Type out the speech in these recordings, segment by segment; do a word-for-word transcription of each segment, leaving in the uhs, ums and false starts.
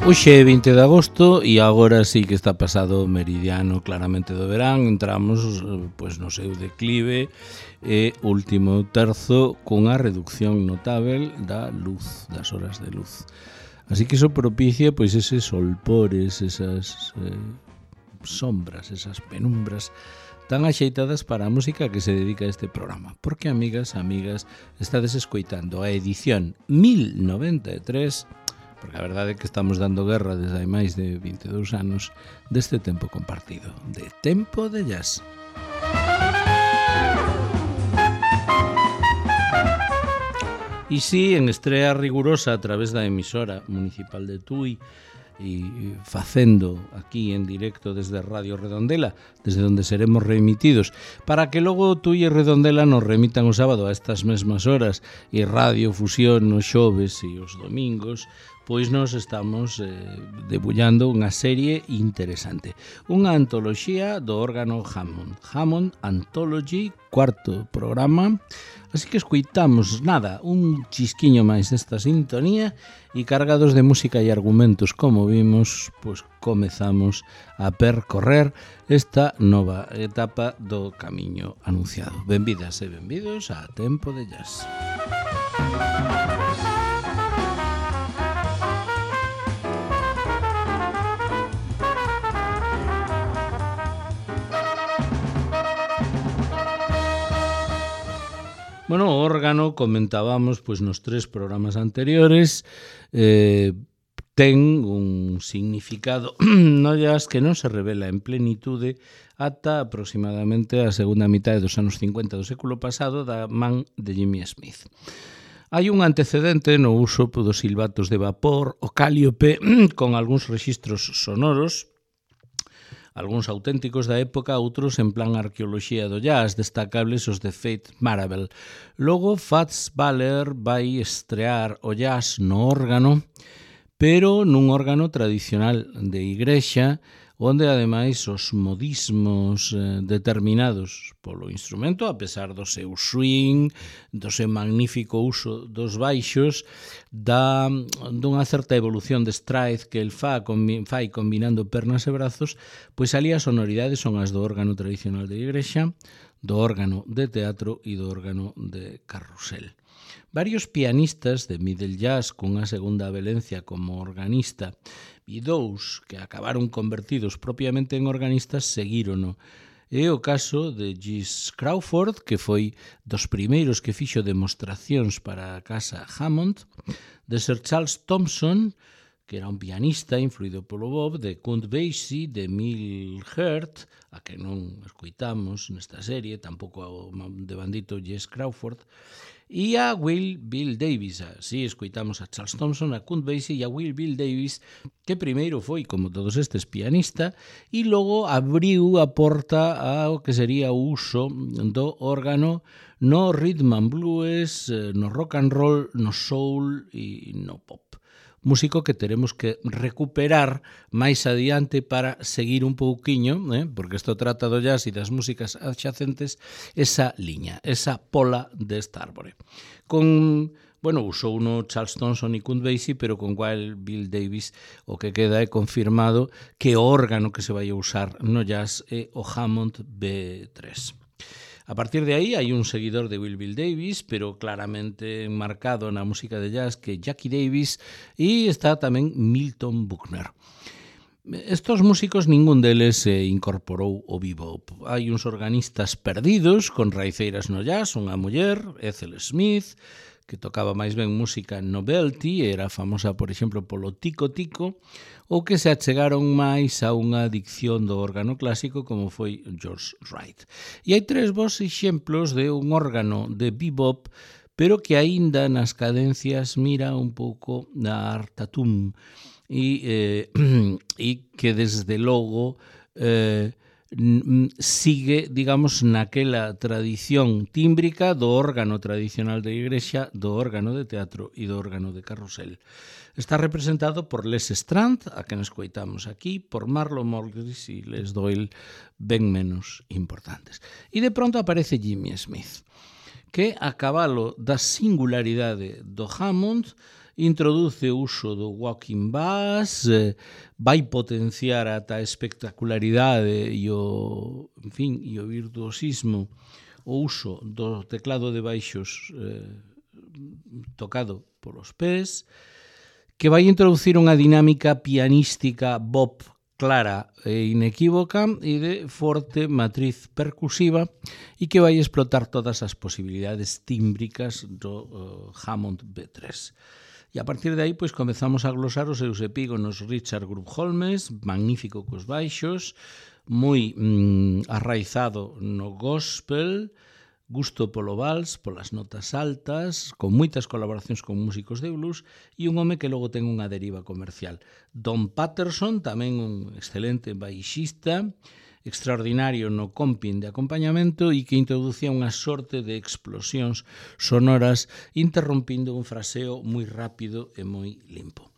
Hoxe é vinte de agosto e agora sí que está pasado o meridiano claramente do verán. Entramos pois, no seu declive e último terzo cunha reducción notável da luz, das horas de luz. Así que iso propicia pois eses solpores, esas eh, sombras, esas penumbras tan axeitadas para a música que se dedica a este programa. Porque, amigas, amigas, estades escoitando a edición mil noventa e tres, porque a verdade é que estamos dando guerra desde hai máis de vinte e dous anos deste tempo compartido, de Tempo de Jazz. E si, en estrea rigurosa a través da emisora municipal de Tui, e facendo aquí en directo desde Radio Redondela, desde onde seremos reemitidos, para que logo Tui e Redondela nos remitan o sábado a estas mesmas horas e Radio Fusión os xoves e os domingos, pois nos estamos eh, debullando unha serie interesante, unha antoloxía do órgano Hammond, Hammond Anthology, cuarto programa. Así que escoitamos, nada, un chisquiño máis desta sintonía e cargados de música e argumentos, como vimos, pois comezamos a percorrer esta nova etapa do camiño anunciado. Benvidas e benvidos a Tempo de Jazz. Bueno, o órgano, comentábamos pois nos tres programas anteriores, eh, ten un significado no jazz que non se revela en plenitude ata aproximadamente a segunda mitad dos anos cincuenta do século pasado da man de Jimmy Smith. Hai un antecedente no uso dos silbatos de vapor, o cáliope, con algúns rexistros sonoros, algúns auténticos da época, outros en plan arqueoloxía do jazz, destacables os de Faith Marable. Logo, Fats Waller vai estrear o jazz no órgano, pero nun órgano tradicional de igrexa, onde ademais os modismos eh, determinados polo instrumento, a pesar do seu swing, do seu magnífico uso dos baixos, da, dunha certa evolución de stride que el fa, combi, fai combinando pernas e brazos, pois ali as sonoridades son as do órgano tradicional de igrexa, do órgano de teatro e do órgano de carrusel. Varios pianistas de middle jazz cunha segunda velencia como organista e dous que acabaron convertidos propiamente en organistas seguírono. É o caso de Jesse Crawford, que foi dos primeiros que fixo demostracións para a casa Hammond, de Sir Charles Thompson, que era un pianista influído polo Bob, de Count Basie, de Emile Hurt, a que non escoitamos nesta serie, tampouco de bandito Jesse Crawford, e a Will Bill Davis. Así escoitamos a Charles Thompson, a Count Basie e a Will Bill Davis, que primeiro foi, como todos estes, pianista, e logo abriu a porta ao que sería o uso do órgano no rhythm and blues, no rock and roll, no soul e no pop. Músico que teremos que recuperar máis adiante para seguir un pouquiño, eh, porque isto trata do jazz e das músicas adxacentes, esa liña, esa pola desta árbore. Con, bueno, usou uno Charles Thompson e Count Basie, pero con Wild Bill Davis o que queda é confirmado que o órgano que se vai a usar no jazz é o Hammond B tres. A partir de aí hai un seguidor de Will Bill Davis, pero claramente enmarcado na música de jazz, que é Jackie Davis, e está tamén Milton Buckner. Estos músicos, ningún deles se incorporou ao bebop. Hai uns organistas perdidos, con raiceiras no jazz, unha muller, Ethel Smith, que tocaba máis ben música novelty, era famosa, por exemplo, polo tico-tico, ou que se achegaron máis a unha adicción do órgano clásico como foi George Wright. E hai tres bons exemplos de un órgano de bebop, pero que aínda nas cadencias mira un pouco na artatum e, eh, e que desde logo eh, sigue, digamos, naquela tradición tímbrica do órgano tradicional de igrexa, do órgano de teatro e do órgano de carrusel. Está representado por Les Strand, a que nos coitamos aquí, por Marlon Morris e Les Doyle, ben menos importantes. E de pronto aparece Jimmy Smith, que a cabalo da singularidade do Hammond introduce o uso do walking bass, eh, vai potenciar ata a espectacularidade e o, en fin, e o virtuosismo o uso do teclado de baixos eh, tocado polos pés, que vai introducir unha dinámica pianística bop clara e inequívoca e de forte matriz percusiva e que vai explotar todas as posibilidades tímbricas do uh, Hammond B tres. E a partir de aí, pois, comezamos a glosar os seus epígonos Richard Group Holmes, magnífico cos baixos, moi mm, arraizado no gospel, gusto polo vals, polas notas altas, con moitas colaboracións con músicos de blues e un home que logo ten unha deriva comercial. Don Patterson, tamén un excelente baixista, extraordinario no comping de acompañamento e que introducía unha sorte de explosións sonoras interrompindo un fraseo moi rápido e moi limpo.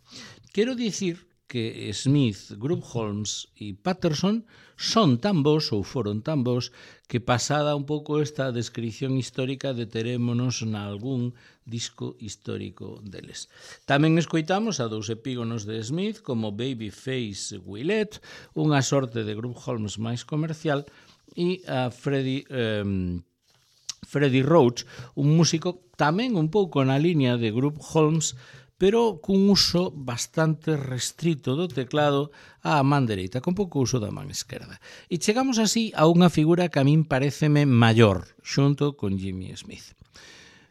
Quero dicir que Smith, Group Holmes e Patterson son tan bons ou foron tan bons que pasada un pouco esta descripción histórica deterémonos na algún disco histórico deles. Tamén escoitamos a dous epígonos de Smith como Babyface Willette, unha sorte de Group Holmes máis comercial, e a Freddie, eh, Freddie Roach, un músico tamén un pouco na liña de Group Holmes, pero cun uso bastante restrito do teclado á man dereita, con pouco uso da man esquerda. E chegamos así a unha figura que a min pareceme maior, xunto con Jimmy Smith.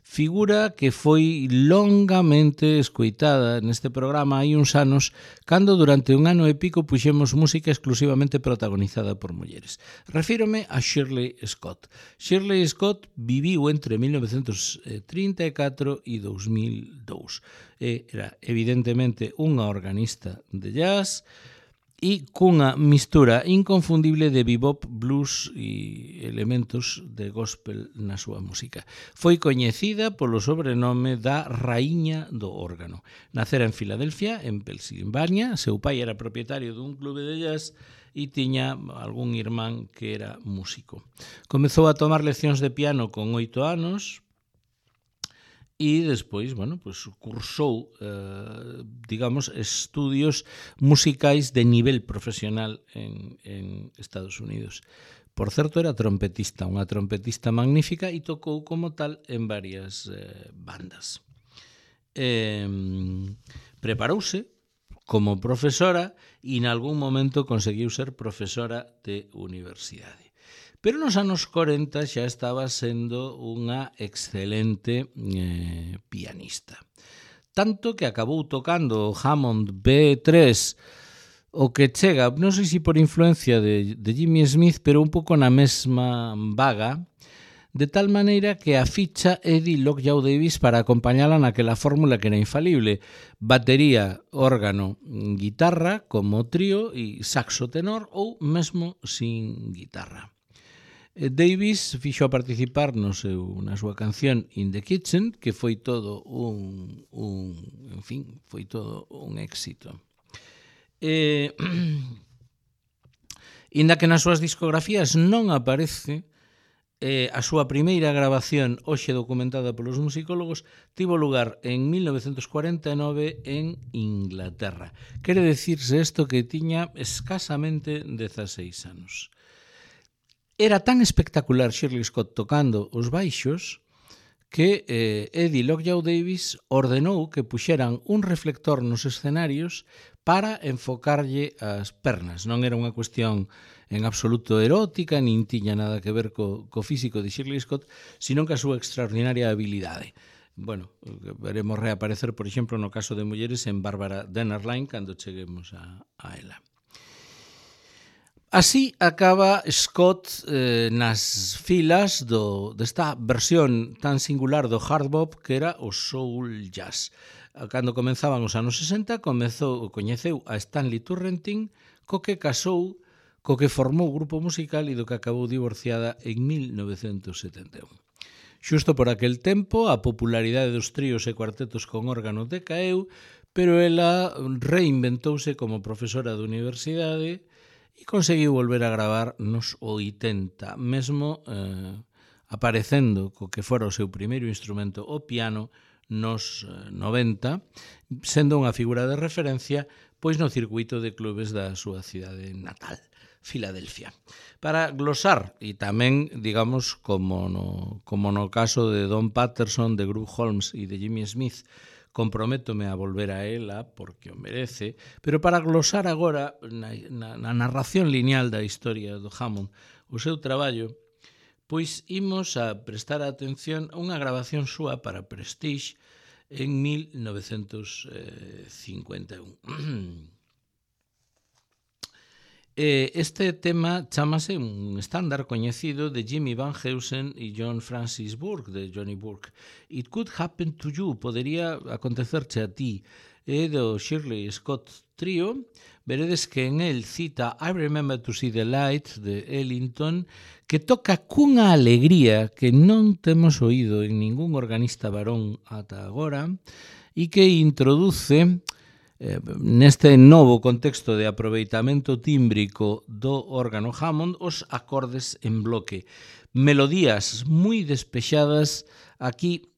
Figura que foi longamente escoitada neste programa hai uns anos, cando durante un ano e pico puxemos música exclusivamente protagonizada por mulleres. Refírome a Shirley Scott. Shirley Scott viviu entre mil novecentos trinta e catro e dos mil dous. Era evidentemente unha organista de jazz e cunha mistura inconfundible de bebop, blues e elementos de gospel na súa música. Foi coñecida polo sobrenome da Raíña do órgano. Nacera en Filadelfia, en Pensilvania, seu pai era propietario dun clube de jazz e tiña algún irmán que era músico. Comezou a tomar leccións de piano con oito anos, e despois, bueno, pues, cursou, eh, digamos, estudios musicais de nivel profesional en, en Estados Unidos. Por certo, era trompetista, unha trompetista magnífica e tocou como tal en varias eh, bandas. Eh, preparouse como profesora e en algún momento conseguiu ser profesora de universidade. Pero nos anos corenta xa estaba sendo unha excelente eh, pianista. Tanto que acabou tocando o Hammond B tres, o que chega, non sei se por influencia de, de Jimmy Smith, pero un pouco na mesma vaga, de tal maneira que a ficha Eddie Lockjaw Davis para acompañala naquela fórmula que era infalible: batería, órgano, guitarra como trío e saxo tenor ou mesmo sin guitarra. Davis fixo a participar no seu, na súa canción In the Kitchen, que foi todo un, un en fin, foi todo un éxito. Eh, inda que nas súas discografías non aparece, eh, a súa primeira grabación, hoxe documentada polos musicólogos, tivo lugar en mil novecentos cuarenta e nove en Inglaterra. Quere dicirse isto que tiña escasamente dezaseis anos. Era tan espectacular Shirley Scott tocando os baixos que eh, Eddie Lockjaw Davis ordenou que puxeran un reflector nos escenarios para enfocarlle as pernas. Non era unha cuestión en absoluto erótica, nin tiña nada que ver co, co físico de Shirley Scott, sino que a súa extraordinaria habilidade. Bueno, veremos reaparecer, por exemplo, no caso de mulleres en Bárbara Dennerlein cando cheguemos a, a ela. Así acaba Scott eh, nas filas do, desta versión tan singular do hard bop que era o soul jazz. Cando comenzaban os anos sesenta, comezou, coñeceu a Stanley Turrentine, co que casou, co que formou o grupo musical e do que acabou divorciada en mil novecentos setenta e un. Xusto por aquel tempo, a popularidade dos tríos e cuartetos con órgano decaeu, pero ela reinventouse como profesora de universidade e conseguiu volver a gravar nos oitenta, mesmo eh, aparecendo co que fora o seu primeiro instrumento, o piano, nos noventa, sendo unha figura de referencia pois no circuito de clubes da súa cidade natal, Filadelfia. Para glosar, e tamén, digamos, como no, como no caso de Don Patterson, de Groove Holmes e de Jimmy Smith, comprométome a volver a ela porque o merece, pero para glosar agora na, na, na narración lineal da historia do Hammond, o seu traballo, pois imos a prestar atención a unha grabación súa para Prestige en mil novecentos cincuenta e un. Este tema chamase un estándar coñecido de Jimmy Van Heusen e John Francis Burke, de Johnny Burke. It Could Happen to You, podería acontecerche a ti, e do Shirley Scott Trio. Veredes que en el cita I Remember to See the Light, de Ellington, que toca cunha alegría que non temos oído en ningún organista varón ata agora, e que introduce Eh, neste novo contexto de aproveitamento tímbrico do órgano Hammond os acordes en bloque. Melodías moi despexadas. Aquí,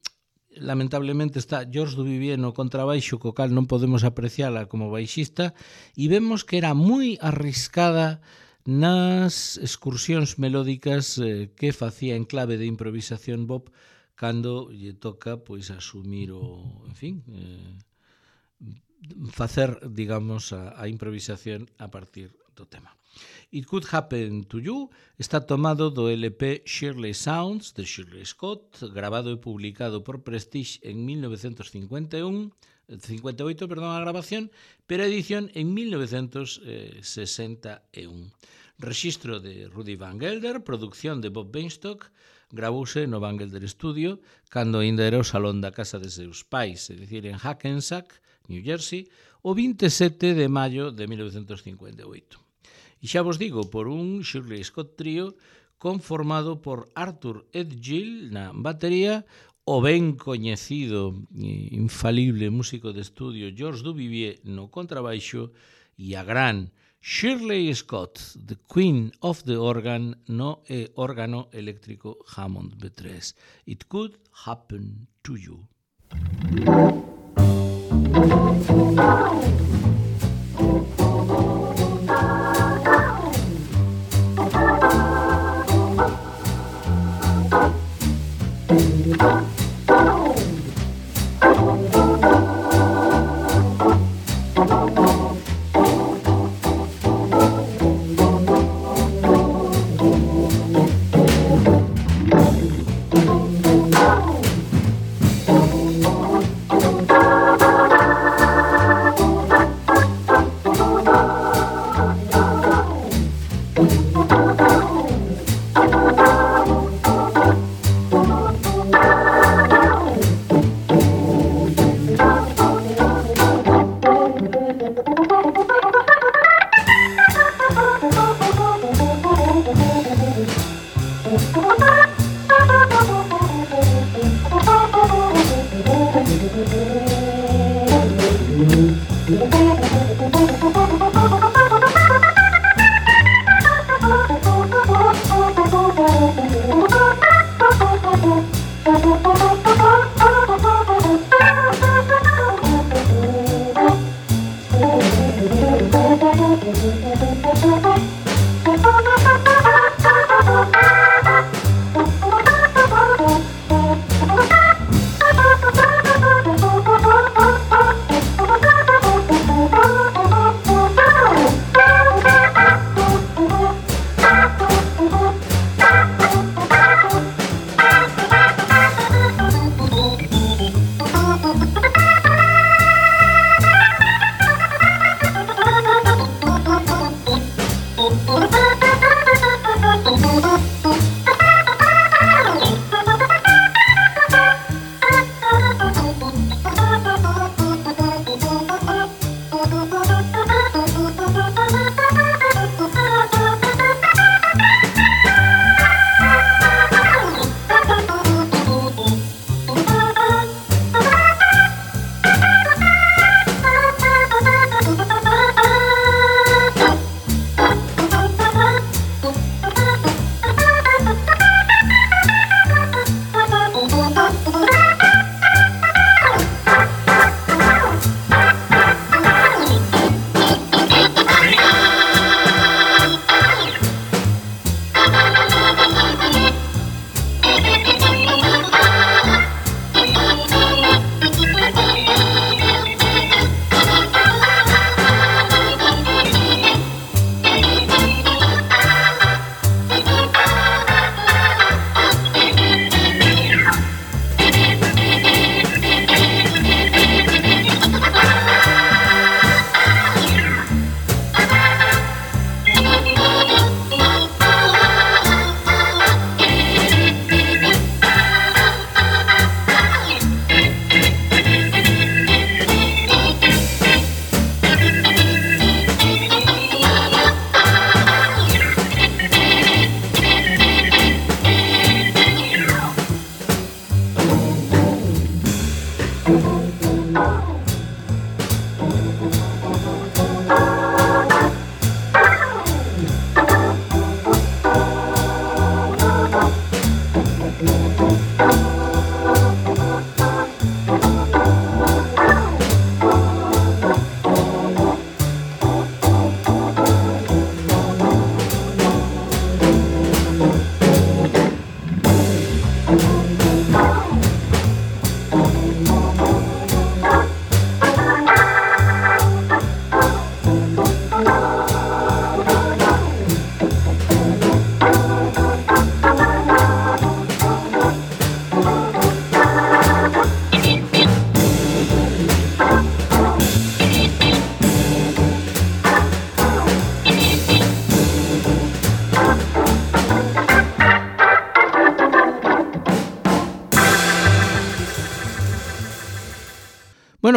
lamentablemente, está George Duvivier no contrabaixo, co cal non podemos apreciala como baixista, e vemos que era moi arriscada nas excursións melódicas eh, que facía en clave de improvisación Bob cando lle toca pois asumir o, en fin, eh, facer, digamos, a, a improvisación a partir do tema. It Could Happen to You está tomado do L P Shirley Sounds de Shirley Scott, grabado e publicado por Prestige en mil novecentos cincuenta e un, cincuenta e oito, perdón, a grabación, pero a edición en mil novecentos sesenta e un. Rexistro de Rudy Van Gelder, producción de Bob Bainstock, gravouse no Van Gelder Studio cando ainda era o salón da casa de seus pais, é dicir, en Hackensack, New Jersey, o vinte e sete de maio de mil novecentos cincuenta e oito. E xa vos digo, por un Shirley Scott Trio conformado por Arthur Edgill na batería, o ben coñecido e infalible músico de estudio George Duvivier no contrabaixo e a gran Shirley Scott, the Queen of the Organ, no e órgano eléctrico Hammond B tres. It Could Happen to You.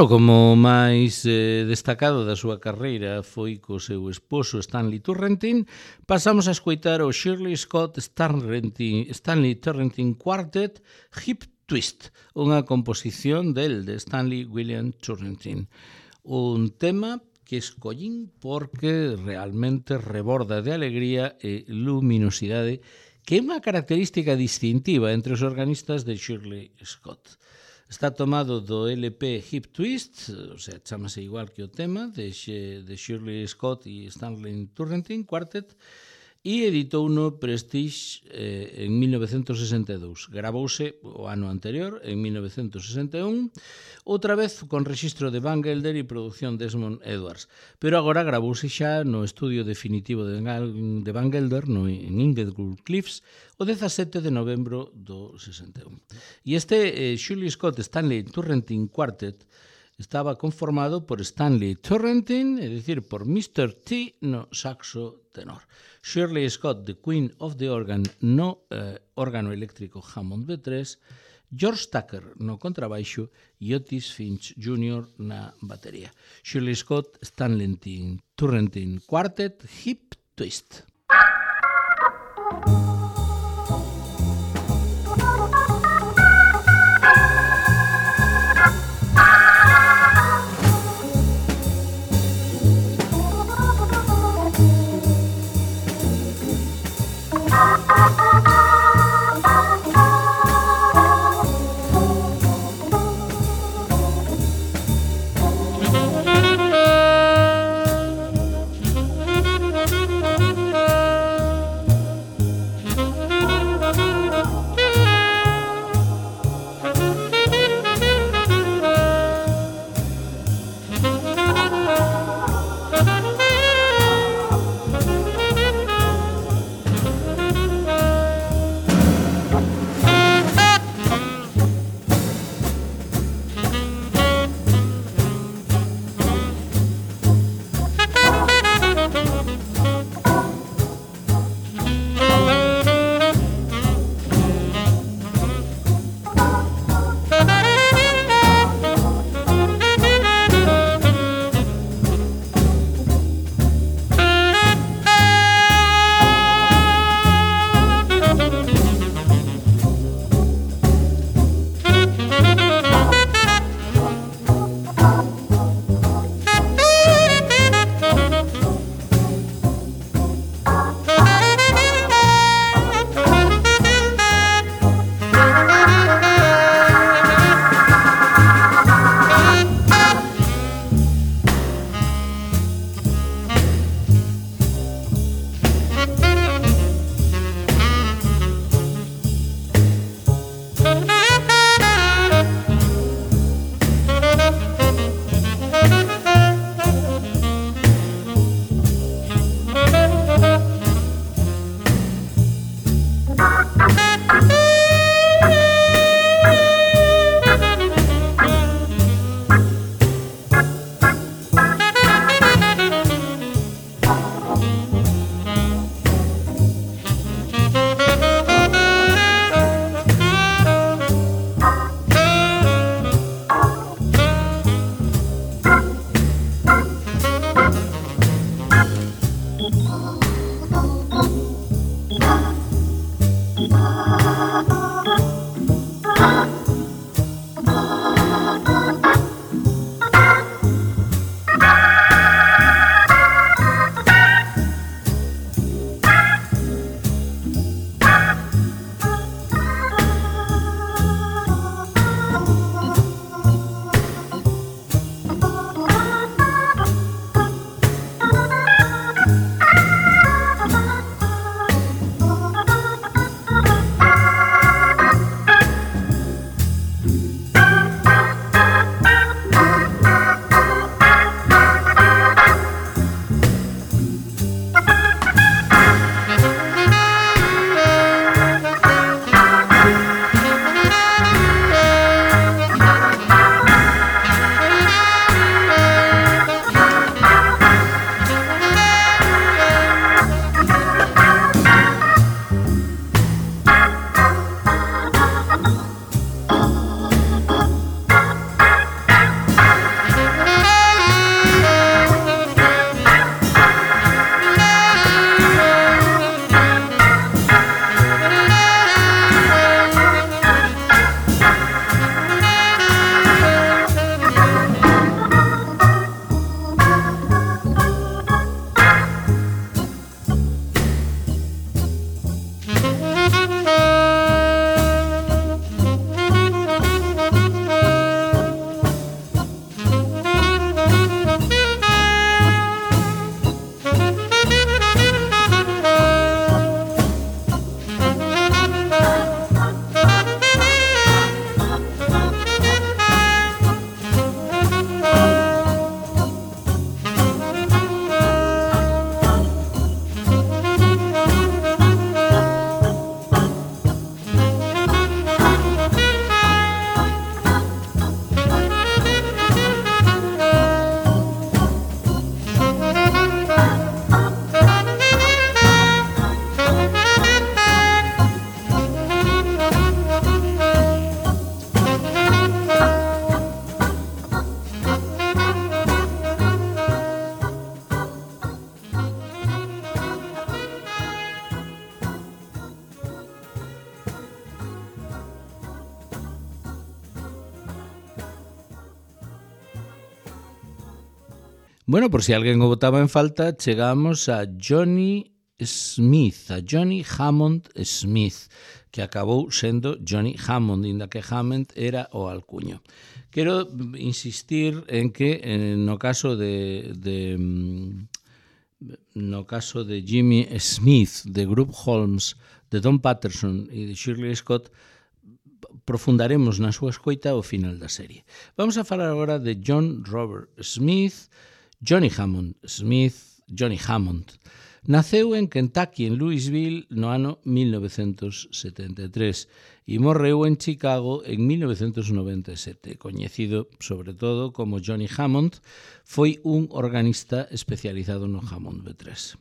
Bueno, como máis eh, destacado da súa carreira foi co seu esposo Stanley Turrentine, pasamos a escoitar o Shirley Scott Stanley, Stanley Turrentine Quartet Hip Twist, unha composición del de Stanley William Turrentine. Un tema que escollín porque realmente reborda de alegría e luminosidade, que é unha característica distintiva entre os organistas de Shirley Scott. Está tomado do L P Hip Twist, o sea, chamase igual que o tema, de, de Shirley Scott e Stanley Turrentine Quartet, e editou no Prestige eh, en mil novecentos sesenta e dous. Gravouse o ano anterior, en mil novecentos sesenta e un, outra vez con rexistro de Van Gelder e produción Desmond Edwards. Pero agora gravouse xa no estudio definitivo de Van Gelder, no, en Inglewood Cliffs, o dezasete de novembro do sesenta e un. E este eh, Shirley Scott Stanley Turrentine Quartet estaba conformado por Stanley Turrentine, é dicir, por mister T no saxo tenor, Shirley Scott, the Queen of the Organ, no eh, órgano eléctrico Hammond B tres, George Tucker no contrabaixo e Otis Finch júnior na batería. Shirley Scott Stanley Turrentine Quartet Hip Twist. Bueno, por si alguén o botaba en falta, chegamos a Johnny Smith, a Johnny Hammond Smith, que acabou sendo Johnny Hammond, inda que Hammond era o alcuño. Quero insistir en que eh, no caso de, de no caso de Jimmy Smith, de Group Holmes, de Don Patterson e de Shirley Scott, profundaremos na súa escoita ao final da serie. Vamos a falar agora de John Robert Smith, Johnny Hammond Smith, Johnny Hammond. Naceu en Kentucky, en Louisville, no ano mil novecentos setenta e tres e morreu en Chicago en mil novecentos noventa e sete. Coñecido, sobre todo, como Johnny Hammond, foi un organista especializado no Hammond B tres.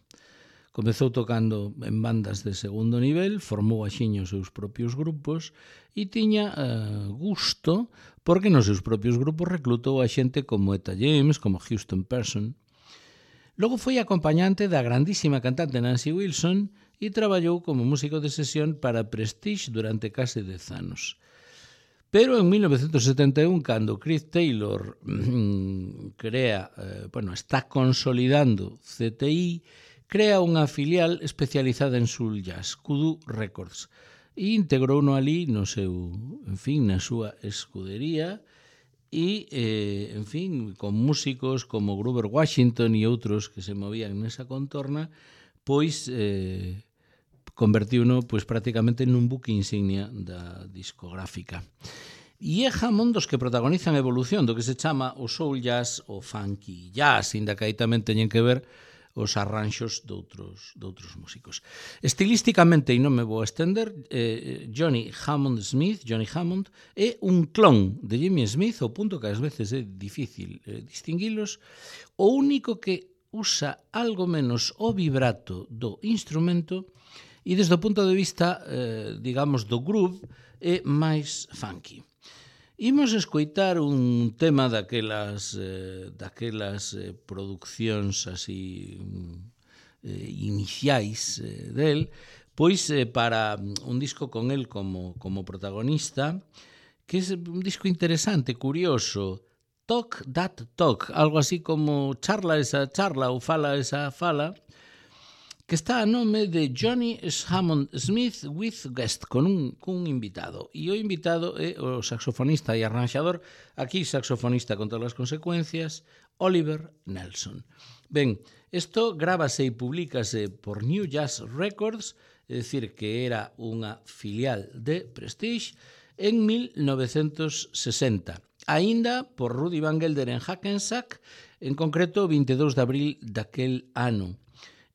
Comezou tocando en bandas de segundo nivel, formou axiña os seus propios grupos e tiña uh, gusto porque nos seus propios grupos reclutou a xente como Etta James, como Houston Person. Logo foi acompañante da grandísima cantante Nancy Wilson e traballou como músico de sesión para Prestige durante case dez anos. Pero en mil novecentos setenta e un, cando Chris Taylor mmm, crea, eh, bueno, está consolidando C T I, crea unha filial especializada en soul jazz, Kudu Records, e integrouno ali no seu, en fin, na súa escudería, e, eh, en fin, con músicos como Grover Washington e outros que se movían nesa contorna, pois eh, convertiuno pois, prácticamente nun buque insignia da discográfica. E é Hammond dos que protagonizan a evolución do que se chama o soul jazz ou funky jazz, inda que aí tamén teñen que ver os arranxos de outros, de outros músicos. Estilísticamente, e non me vou a estender, eh, Johnny Hammond Smith, Johnny Hammond, é un clon de Jimmy Smith, ao punto que ás veces é difícil eh, distinguilos. O único que usa algo menos o vibrato do instrumento e desde o punto de vista, eh, digamos, do groove, é máis funky. Imos escoitar un tema daquelas, eh, daquelas eh, produccións así eh, iniciais eh, del, pois eh, para un disco con el como, como protagonista, que é un disco interesante, curioso, Talk That Talk, algo así como charla esa charla ou fala esa fala, que está a nome de Johnny Hammond Smith with Guest, con un, con un invitado. E o invitado é o saxofonista e arranxador, aquí saxofonista con todas as consecuencias, Oliver Nelson. Ben, isto grábase e publicase por New Jazz Records, é dicir, que era unha filial de Prestige, en mil novecentos sesenta. Aínda por Rudy Van Gelder en Hackensack, en concreto o vinte e dous de abril daquel ano.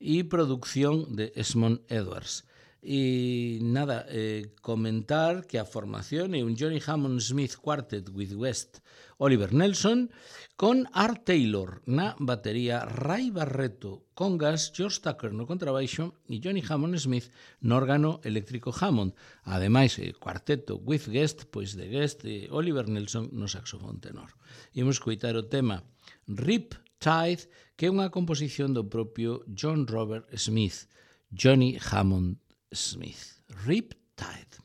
E producción de Esmond Edwards. E nada, eh, comentar que a formación é un Johnny Hammond Smith Quartet with West Oliver Nelson con Art Taylor na batería, Ray Barreto congas, George Tucker no contrabaixo e Johnny Hammond Smith no órgano eléctrico Hammond. Ademais, eh, cuarteto with Guest, pois de Guest e Oliver Nelson no saxofón tenor. Imos coitar o tema Rip Tide, que é unha composición do propio John Robert Smith, Johnny Hammond Smith. Rip Tide.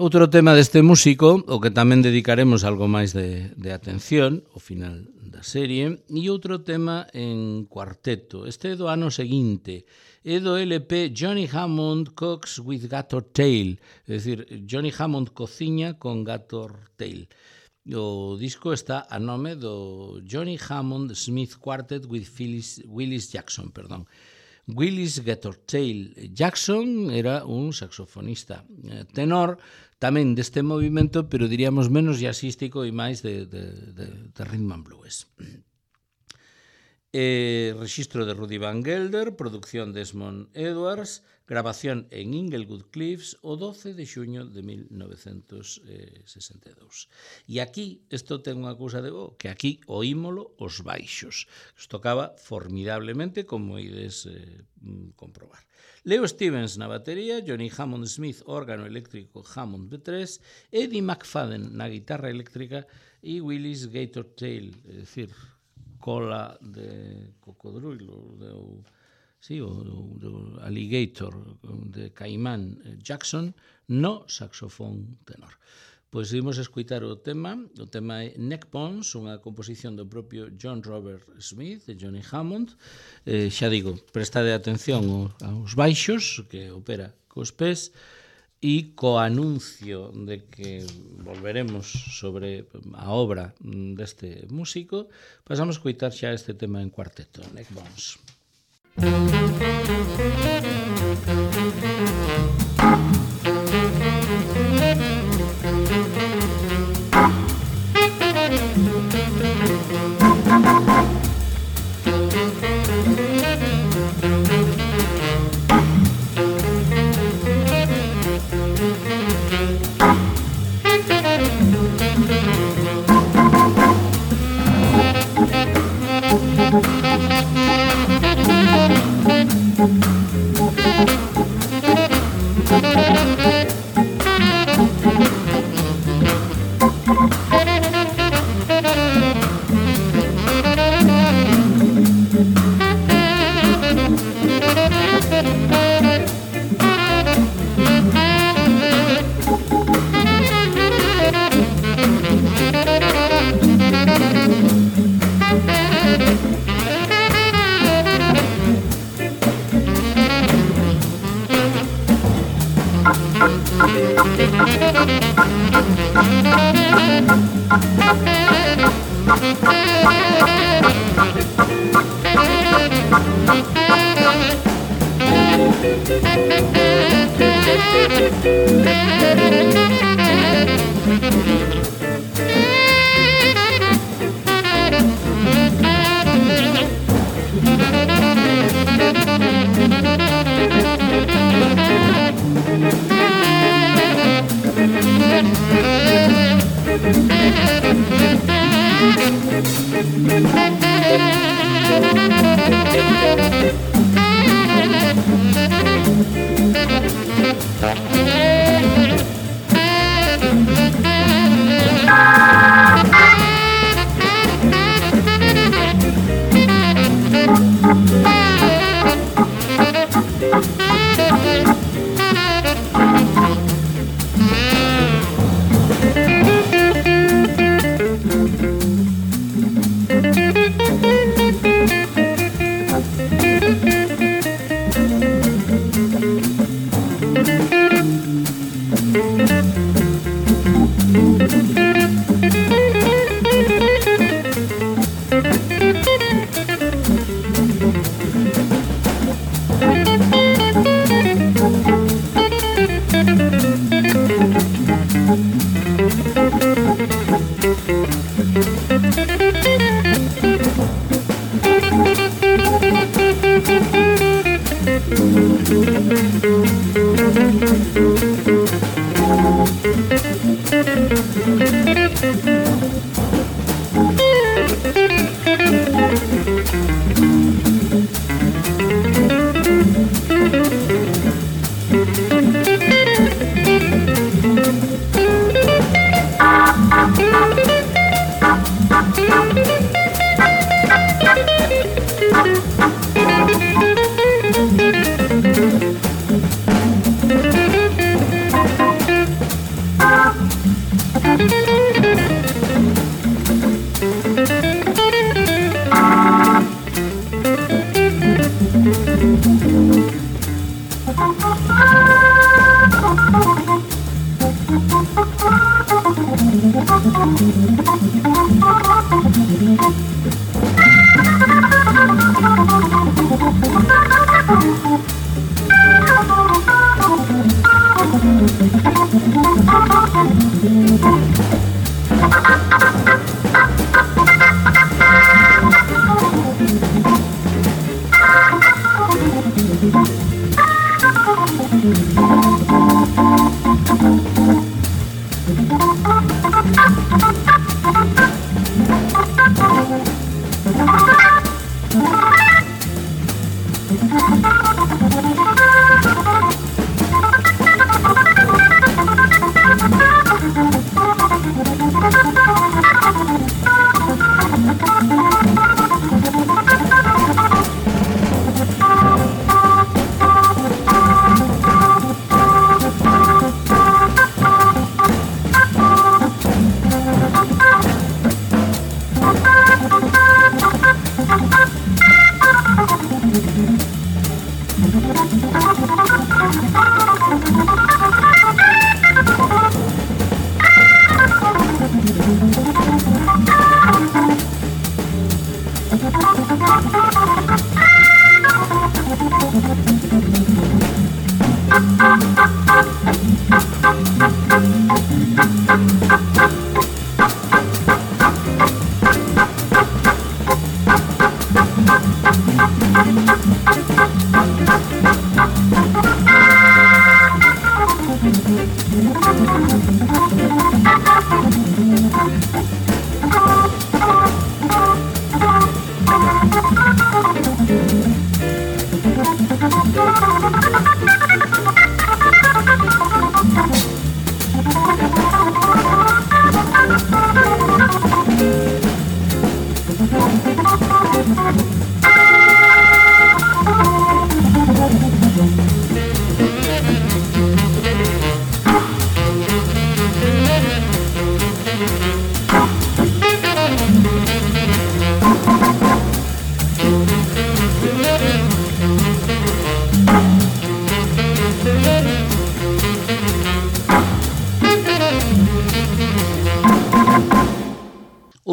Outro tema deste músico, o que tamén dedicaremos algo máis de, de atención ao final da serie, e outro tema en cuarteto. Este é do ano seguinte, é do L P Johnny Hammond Cooks with Gator Tail, é dicir, Johnny Hammond cociña con Gator Tail. O disco está a nome do Johnny Hammond Smith Quartet with Phyllis, Willis Jackson, perdón. Willis Gatortail Jackson era un saxofonista tenor tamén deste movimento, pero diríamos menos jazzístico e máis de, de, de, de rhythm and blues. Eh, registro de Rudy Van Gelder, producción de Desmond Edwards, grabación en Inglewood Cliffs o doce de xuño de mil novecentos sesenta e dous. E aquí, isto ten unha cousa de bo, que aquí oímolo os baixos. Os tocaba formidablemente, como ides eh, comprobar. Leo Stevens na batería, Johnny Hammond Smith, órgano eléctrico Hammond B tres, Eddie McFadden na guitarra eléctrica e Willis Gatortail, é dicir, cola de cocodrilo, de, sí, o, o alligator de Caimán Jackson no saxofón tenor. Pois imos escutar o tema, o tema é Neck Bones, unha composición do propio John Robert Smith, de Johnny Hammond. Eh, xa digo, prestade atención aos baixos, que opera cos pés, e co anuncio de que volveremos sobre a obra deste músico, pasamos a escutar xa este tema en cuarteto, Neck Bones.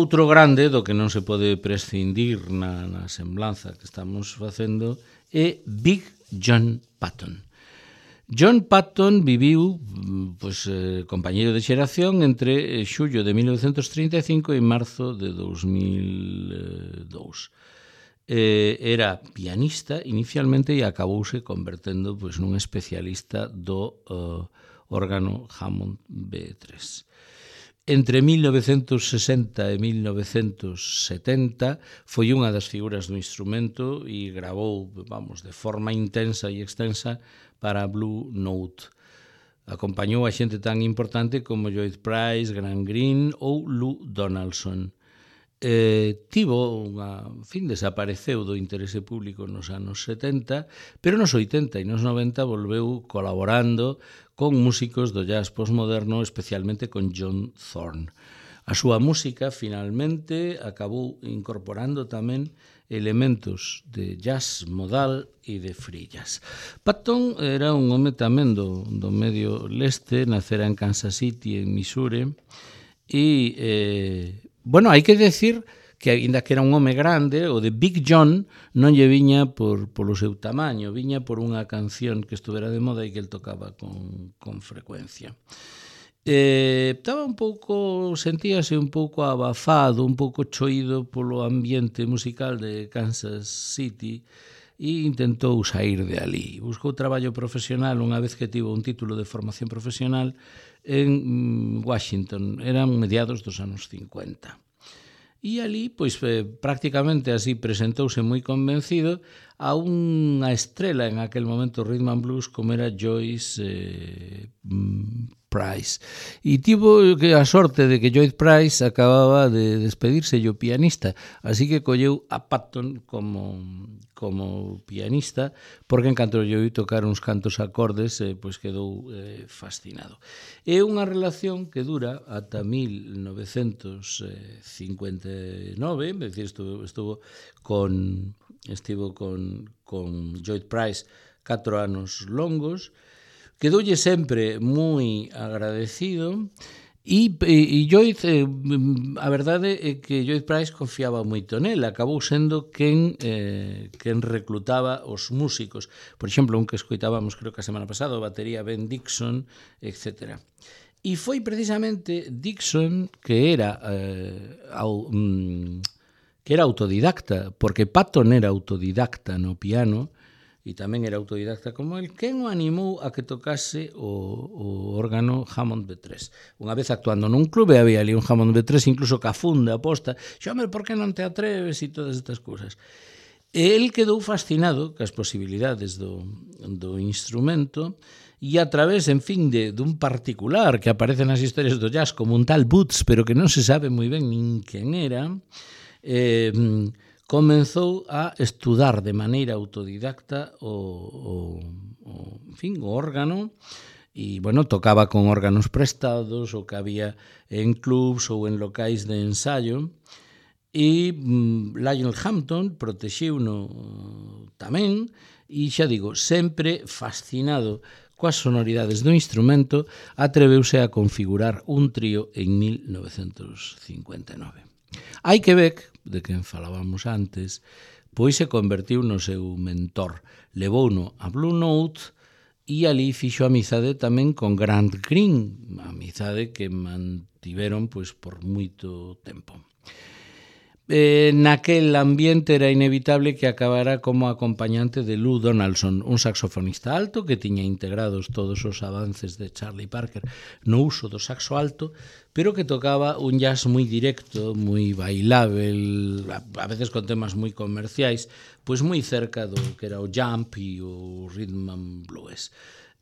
Outro grande do que non se pode prescindir na, na semblanza que estamos facendo é Big John Patton. John Patton viviu, pois, eh, compañeiro de xeración entre xullo de mil novecentos trinta e cinco e marzo de dous mil e dous. Eh, era pianista inicialmente e acabouse convertendo, pois, nun especialista do uh, órgano Hammond B tres. Entre mil novecentos sesenta e mil novecentos setenta foi unha das figuras do instrumento e gravou, vamos, de forma intensa e extensa para Blue Note. Acompañou a xente tan importante como Lloyd Price, Graham Greene ou Lou Donaldson. Eh, tivo unha, en fin, desapareceu do interese público nos anos setenta, pero nos oitenta e nos noventa volveu colaborando con músicos do jazz postmoderno, especialmente con John Thorne. A súa música, finalmente, acabou incorporando tamén elementos de jazz modal e de free jazz. Patton era un home tamén do, do medio leste, nacera en Kansas City, en Missouri, e, eh, bueno, hai que decir que, ainda que era un home grande, o de Big John non lle viña por, polo seu tamaño, viña por unha canción que estuvera de moda e que el tocaba con, con frecuencia. Eh, estaba un pouco, sentíase un pouco abafado, un pouco choído polo ambiente musical de Kansas City e intentou sair de ali. Buscou traballo profesional unha vez que tivo un título de formación profesional en Washington, eran mediados dos anos cincuenta. E ali, pois, eh, prácticamente así presentouse moi convencido a unha estrela en aquel momento rhythm and blues como era Joyce eh, Price. E tivo que a sorte de que Joyce Price acababa de despedirse o pianista, así que colleu a Patton como, como pianista, porque en canto lle oí tocar uns cantos acordes, eh, pois quedou eh, fascinado. É unha relación que dura ata mil novecentos cincuenta e nove, é dicir, estuvo, estuvo con estivo con, con Joyce Price catro anos longos, quedoulle sempre moi agradecido e, e, e Joyce, eh, a verdade é que Joyce Price confiaba moito nela, acabou sendo quen, eh, quen reclutaba os músicos. Por exemplo, un que escoitábamos creo que a semana pasada, o batería Ben Dixon, etcétera. E foi precisamente Dixon que era eh, au, mm, que era autodidacta, porque Patton era autodidacta no piano e tamén era autodidacta como el, quen o animou a que tocase o, o órgano Hammond B tres. Unha vez actuando nun clube había ali un Hammond B tres, incluso ca funda aposta, xome, por que non te atreves e todas estas cousas. E el quedou fascinado cas posibilidades do, do instrumento e a través, en fin, de dun particular que aparece nas historias do jazz como un tal Boots, pero que non se sabe moi ben nin quen era, eh, comenzou a estudar de maneira autodidacta o, o, o, en fin, o órgano e, bueno, tocaba con órganos prestados o que había en clubs ou en locais de ensayo e mm, Lionel Hampton protexiuno tamén e, xa digo, sempre fascinado coas sonoridades do instrumento, atreveuse a configurar un trío en mil novecentos cincuenta e nove. Eichbeck, de quen falábamos antes, pois se convertiu no seu mentor. Levouno a Blue Note e ali fixo amizade tamén con Grant Green, amizade que mantiveron pois por moito tempo. Eh, naquel ambiente era inevitable que acabara como acompañante de Lou Donaldson, un saxofonista alto que tiña integrados todos os avances de Charlie Parker no uso do saxo alto, pero que tocaba un jazz moi directo, moi bailável, a veces con temas moi comerciais, pois moi cerca do que era o jump e o rhythm and blues.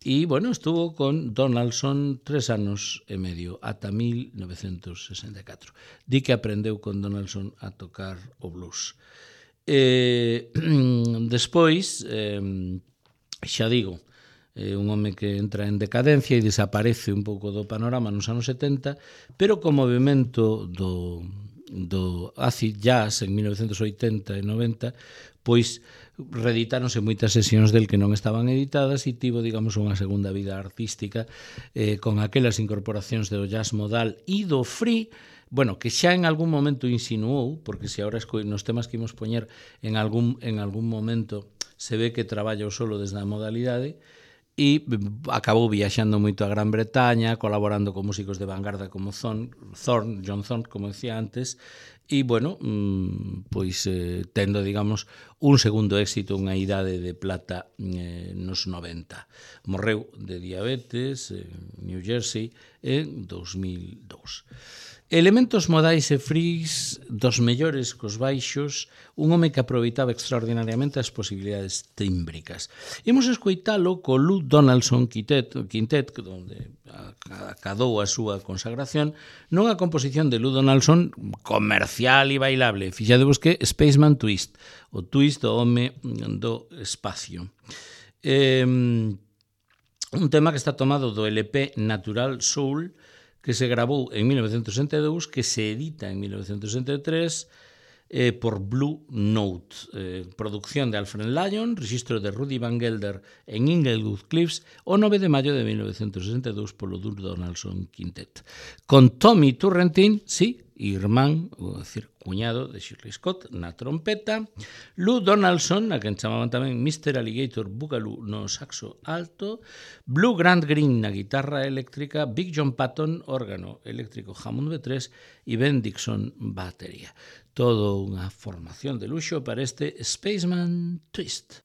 E, bueno, estuvo con Donaldson tres anos e medio, ata mil novecentos sesenta e catro. Di que aprendeu con Donaldson a tocar o blues. Eh, despois, eh, xa digo, é un home que entra en decadencia e desaparece un pouco do panorama nos anos setenta, pero co movimento do, do acid jazz en mil novecentos oitenta e noventa, pois reeditáronse moitas sesións del que non estaban editadas e tivo, digamos, unha segunda vida artística eh, con aquelas incorporacións do jazz modal e do free, bueno, que xa en algún momento insinuou, porque se agora nos temas que imos poñer en algún, en algún momento se ve que traballa o solo desde a modalidade, e acabou viaxando moito a Gran Bretaña, colaborando con músicos de vanguarda como Thorne, Thorne, John Thorne, como decía antes, e, bueno, pois eh, tendo, digamos, un segundo éxito, unha idade de plata eh, nos noventa. Morreu de diabetes en New Jersey en dos mil dous. Elementos modais e fris dos mellores cos baixos, un home que aproveitaba extraordinariamente as posibilidades tímbricas. Imos escoitalo co Lou Donaldson Quintet, Quintet onde acadou a súa consagración, nunha composición de Lou Donaldson comercial e bailable. Fixadevos que Spaceman Twist, o twist do home do espacio. Eh, un tema que está tomado do L P Natural Soul, que se grabou en mil novecentos sesenta e dous, que se edita en mil novecentos sesenta e tres eh, por Blue Note. Eh, producción de Alfred Lyon, registro de Rudy Van Gelder en Inglewood Cliffs, o nove de maio de mil novecentos sesenta e dous polo Lou Donaldson Quintet. Con Tommy Turrentine, sí, irmán, ou decir, cuñado de Shirley Scott, na trompeta, Lou Donaldson, a quen chamaban tamén mister Alligator Boogaloo no saxo alto, Blue Grant Green na guitarra eléctrica, Big John Patton, órgano eléctrico Hammond B tres e Ben Dixon, batería. Todo unha formación de luxo para este Spaceman Twist.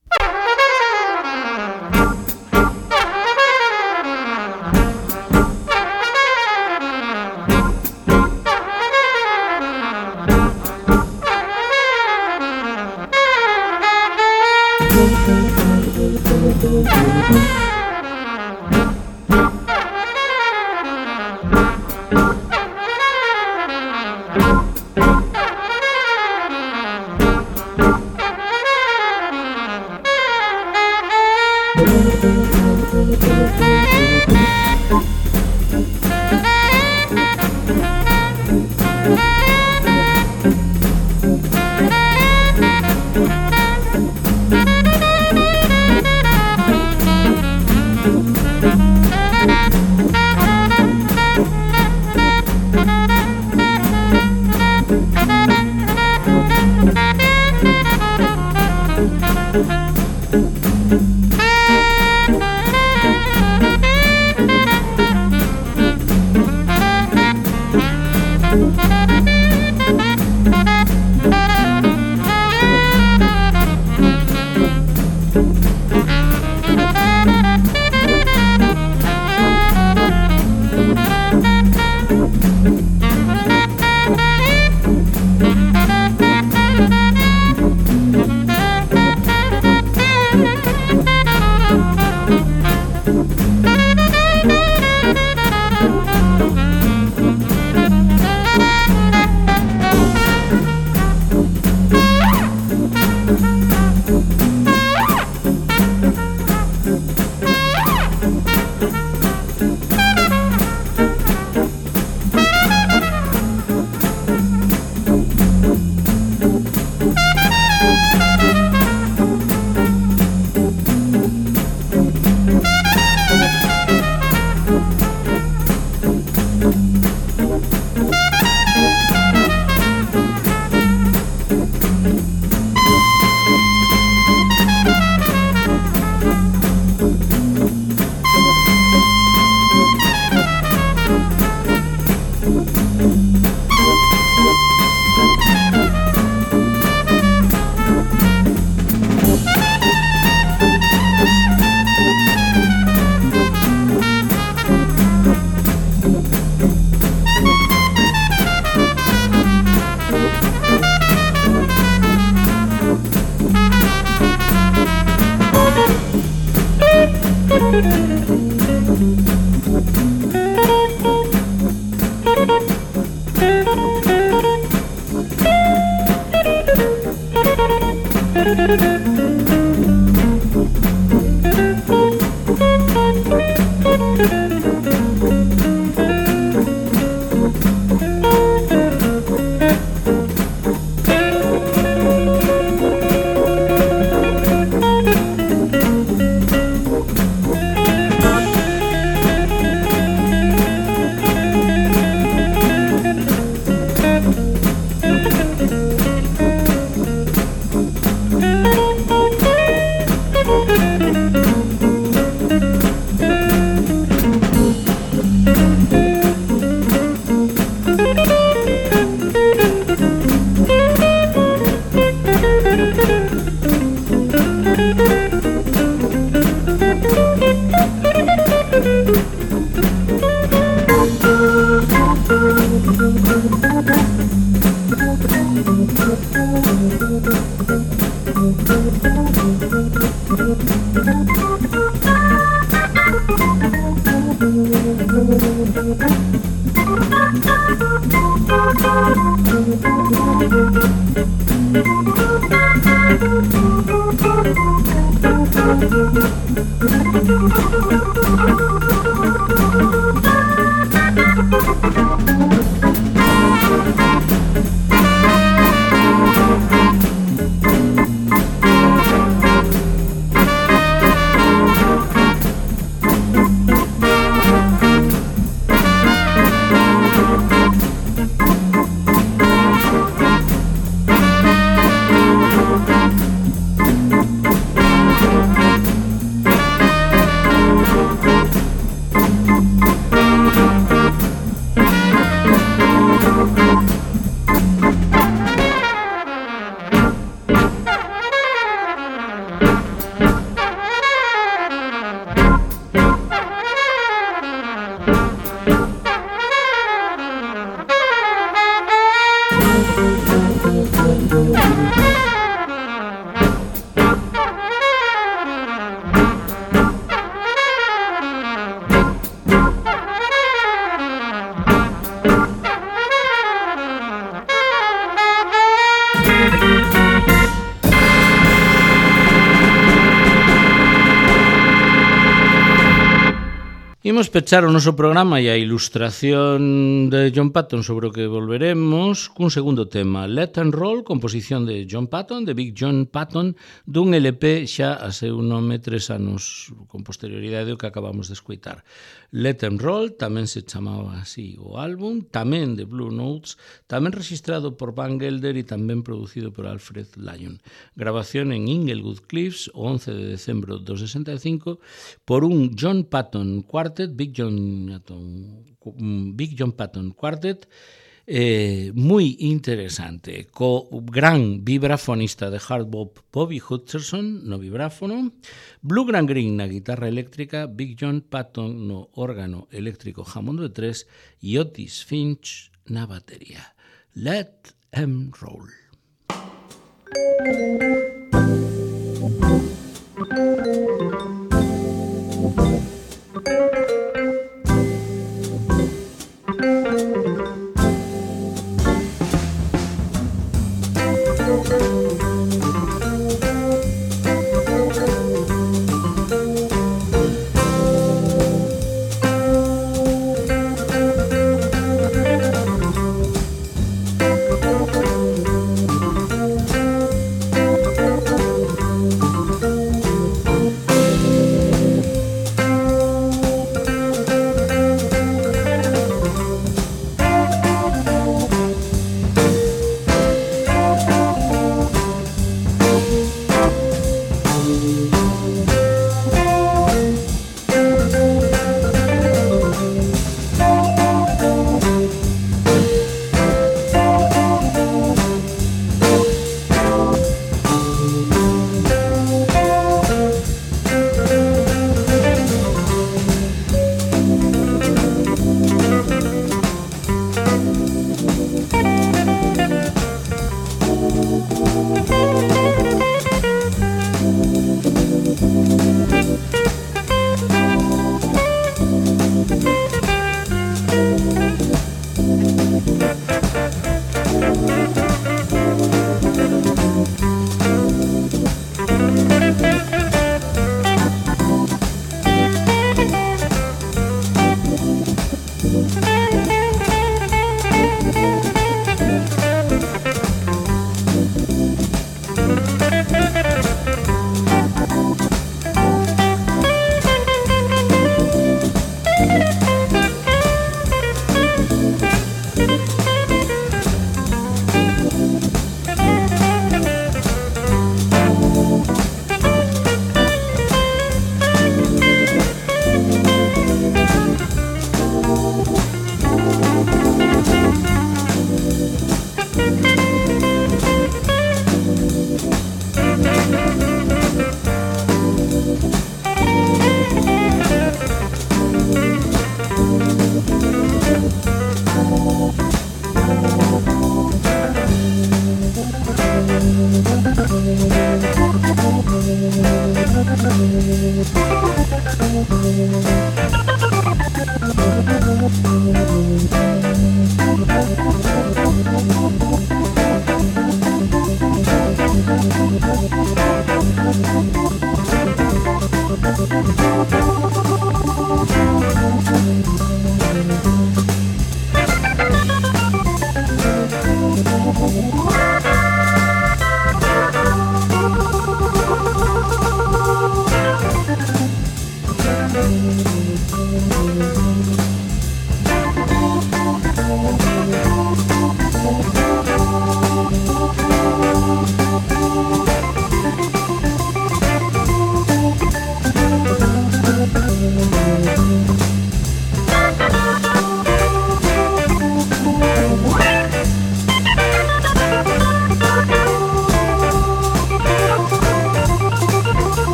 Imos pechar o noso programa e a ilustración de John Patton sobre o que volveremos cun segundo tema, Let and Roll, composición de John Patton, de Big John Patton, dun L P xa a seu nome tres anos con posterioridade o que acabamos de escoitar. Let and Roll tamén se chamaba así o álbum, tamén de Blue Notes, tamén registrado por Van Gelder e tamén producido por Alfred Lyon. Grabación en Inglewood Cliffs o once de decembro do sesenta e cinco por un John Patton Quartet, Big John Patton, Big John Patton Quartet, eh, moi interesante, co gran vibrafonista de hard bop Bobby Hutcherson no vibráfono, Blue Grant Green na guitarra eléctrica, Big John Patton no órgano eléctrico Hammond B tres e Otis Finch na batería. Let 'em roll.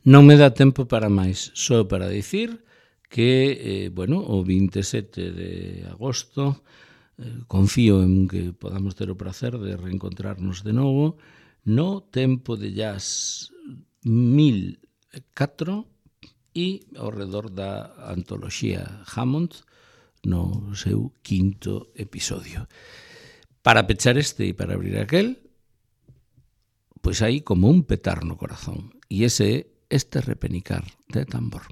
Non me dá tempo para máis, só para dicir que, eh, bueno, o vinte e sete de agosto eh, confío en que podamos ter o prazer de reencontrarnos de novo no Tempo de Jazz mil catro e ao redor da antoloxía Hammond no seu quinto episodio. Para pechar este e para abrir aquel, pois hai como un petar no corazón, e ese é este repenicar de tambor.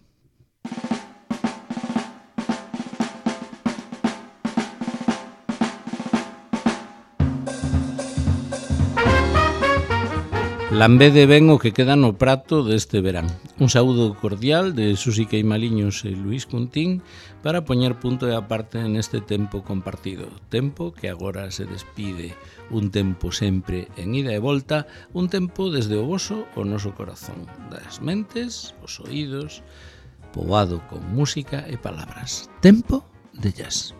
Lambede ben o que queda no prato deste verán. Un saúdo cordial de Susi Queimaliños e Luís Cuntín para poñer punto e aparte neste tempo compartido. Tempo que agora se despide. Un tempo sempre en ida e volta, un tempo desde o voso o noso corazón, das mentes, os oídos, poboado con música e palabras. Tempo de jazz.